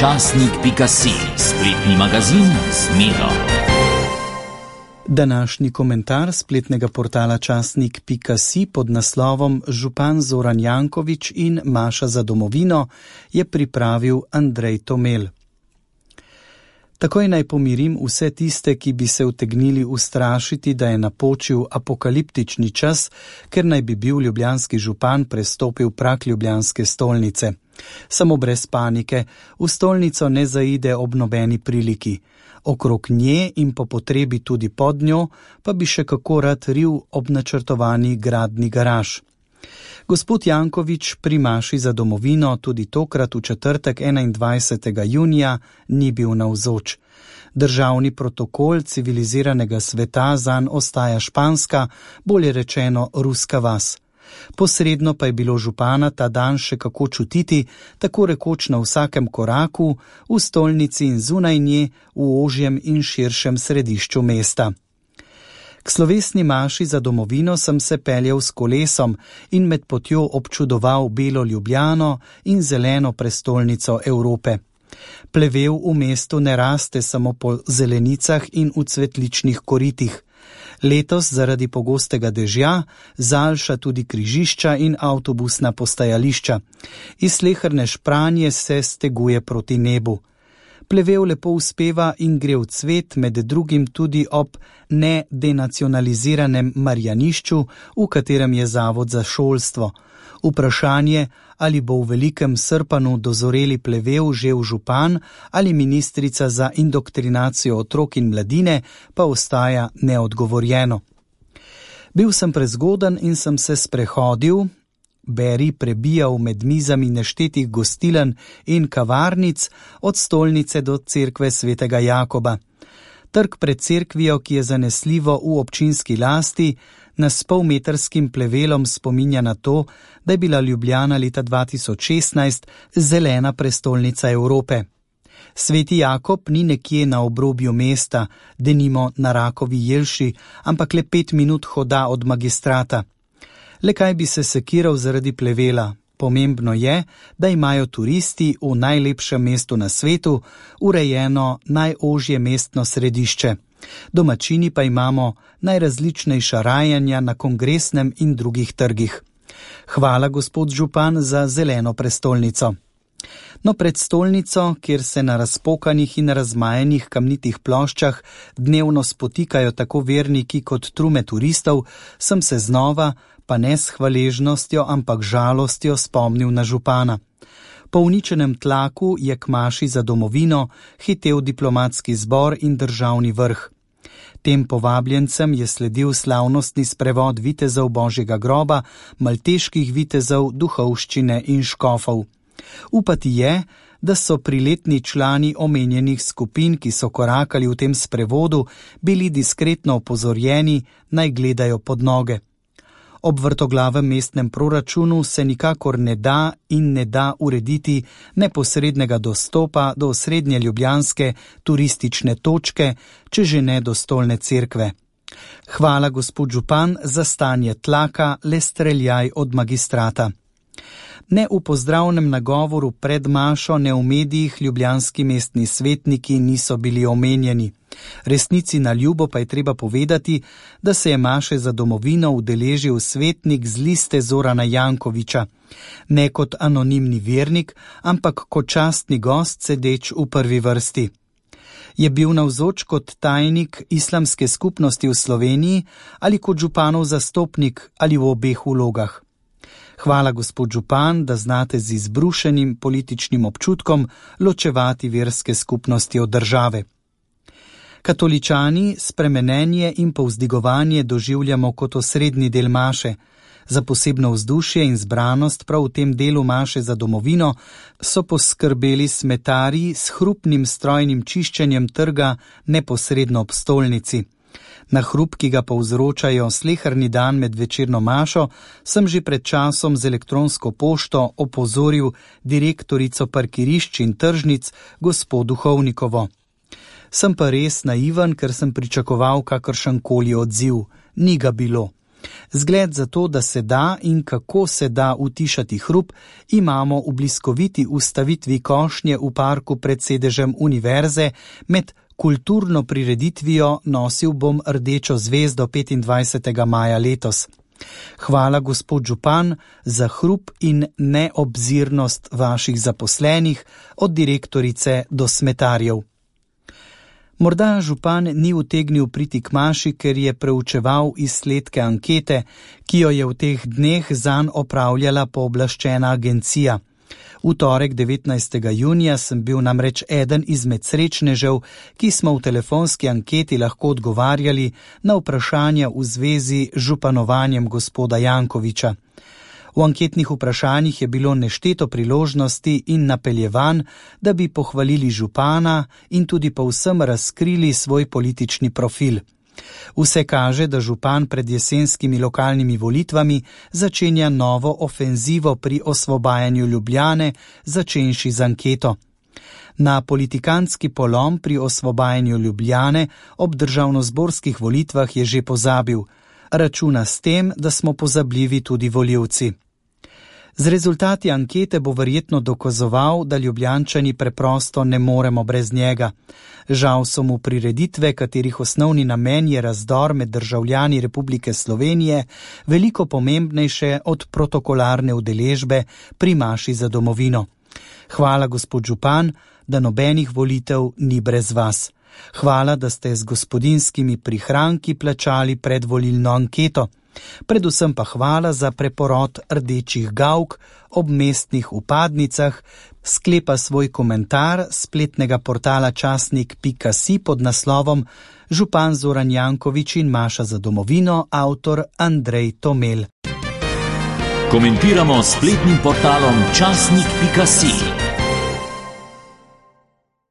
Časnik.si, spletni magazin z Miro. Današnji komentar spletnega portala Časnik.si pod naslovom Župan Zoran Janković in Maša za domovino je pripravil Andrej Tomel. Takoj naj pomirim vse tiste, ki bi se utegnili ustrašiti, da je napočil apokaliptični čas, ker naj bi bil ljubljanski župan prestopil prag ljubljanske stolnice. Samo brez panike, v stolnico ne zaide ob nobeni priliki. Okrog nje in po potrebi tudi pod njo pa bi še kako rad ril ob načrtovani gradni garaž. Gospod Janković pri Maši za domovino tudi tokrat v četrtek 21. junija ni bil navzoč. Državni protokol civiliziranega sveta zanj ostaja španska, bolje rečeno ruska vas. Posredno pa je bilo župana ta dan še kako čutiti, tako rekoč na vsakem koraku, v stolnici in zunaj nje, v ožjem in širšem središču mesta. K slovesni Maši za domovino sem se peljal s kolesom in med potjo občudoval belo Ljubljano in zeleno prestolnico Evrope. Plevel v mestu ne raste samo po zelenicah in v cvetličnih koritih. Letos zaradi pogostega dežja zaljša tudi križišča in avtobusna postajališča. Iz sleherne špranje se steguje proti nebu. Plevel lepo uspeva in gre v cvet, med drugim tudi ob nedenacionaliziranem Marjanišču, v katerem je zavod za šolstvo. Vprašanje, ali bo v velikem Srpanu dozoreli plevel že v župan ali ministrica za indoktrinacijo otrok in mladine, pa ostaja neodgovorjeno. Bil sem prezgoden in sem se sprehodil, prebijal med mizami neštetih gostilen in kavarnic od stolnice do cerkve svetega Jakoba. Trg pred cerkvijo, ki je zanesljivo v občinski lasti, nas s polmetrskim plevelom spominja na to, da je bila Ljubljana leta 2016 zelena prestolnica Evrope. Sveti Jakob ni nekje na obrobju mesta, denimo na Rakovi Jelši, ampak le 5 minut hoda od Magistrata. Le kaj bi se sekiral zaradi plevela? Pomembno je, da imajo turisti v najlepšem mestu na svetu urejeno najožje mestno središče. Domačini pa imamo najrazličnejša rajanja na Kongresnem in drugih trgih. Hvala, gospod župan, za zeleno prestolnico. No, pred stolnico, kjer se na razpokanih in razmajenih kamnitih ploščah dnevno spotikajo tako verniki kot trume turistov, sem se znova, pa ne s hvaležnostjo, ampak žalostjo spomnil na župana. Po uničenem tlaku je k Maši za domovino hitel diplomatski zbor in državni vrh. Tem povabljencem je sledil slavnostni sprevod vitezov Božjega groba, malteških vitezov, duhovščine in škofov. Upati je, da so priletni člani omenjenih skupin, ki so korakali v tem sprevodu, bili diskretno opozorjeni, naj gledajo pod noge. Ob vrtoglavem mestnem proračunu se nikakor ne da urediti neposrednega dostopa do osrednje ljubljanske turistične točke, če že ne do stolne cerkve. Hvala, gospod župan, za stanje tlaka, le streljaj od Magistrata. Ne v pozdravnem nagovoru pred Mašo, ne v medijih ljubljanski mestni svetniki niso bili omenjeni. Resnici na ljubo pa je treba povedati, da se je Maše za domovino udeležil svetnik z liste Zorana Jankovića, ne kot anonimni vernik, ampak kot častni gost sedeč v prvi vrsti. Je bil navzoč kot tajnik islamske skupnosti v Sloveniji ali kot županov zastopnik ali v obeh vlogah? Hvala, gospod župan, da znate z izbrušenim političnim občutkom ločevati verske skupnosti od države. Katoličani spremenjenje in povzdigovanje doživljamo kot osrednji del Maše. Za posebno vzdušje in zbranost prav v tem delu Maše za domovino so poskrbeli smetarji s hrupnim strojnim čiščenjem trga neposredno ob stolnici. Na hrup, ki ga povzročajo sleherni dan med večerno mašo, sem že pred časom z elektronsko pošto opozoril direktorico parkirišč in tržnic, gospod Duhovnikovo. Sem pa res naiven, ker sem pričakoval kakršenkoli odziv. Ni ga bilo. Zgled za to, da se da in kako se da utišati hrup, imamo v bliskoviti ustavitvi košnje v parku pred sedežem univerze med kulturno prireditvijo Nosil bom rdečo zvezdo 25. maja letos. Hvala, gospod župan, za hrup in neobzirnost vaših zaposlenih, od direktorice do smetarjev. Morda župan ni utegnil priti k maši, ker je preučeval izsledke ankete, ki jo je v teh dneh zanj opravljala pooblaščena agencija. V torek 19. junija sem bil namreč eden izmed srečnežev, ki smo v telefonski anketi lahko odgovarjali na vprašanja v zvezi z županovanjem gospoda Jankovića. V anketnih vprašanjih je bilo nešteto priložnosti in napeljevanj, da bi pohvalili župana in tudi povsem razkrili svoj politični profil. Vse kaže, da župan pred jesenskimi lokalnimi volitvami začenja novo ofenzivo pri osvobajanju Ljubljane, začenši z anketo. Na politikantski polom pri osvobajanju Ljubljane ob državnozborskih volitvah je že pozabil. Računa s tem, da smo pozabljivi tudi volivci. Z rezultati ankete bo verjetno dokazoval, da Ljubljančani preprosto ne moremo brez njega. Žal so mu prireditve, katerih osnovni namen je razdor med državljani Republike Slovenije, veliko pomembnejše od protokolarne udeležbe pri maši za domovino. Hvala, gospod župan, da nobenih volitev ni brez vas. Hvala, da ste z gospodinjskimi prihranki plačali predvolilno anketo. Predvsem pa hvala za preporod rdečih gavk ob mestnih vpadnicah, sklepa svoj komentar spletnega portala časnik.si pod naslovom Župan Zoran Janković in maša za domovino, avtor Andrej Tomel. Komentiramo spletnim portalom časnik.si.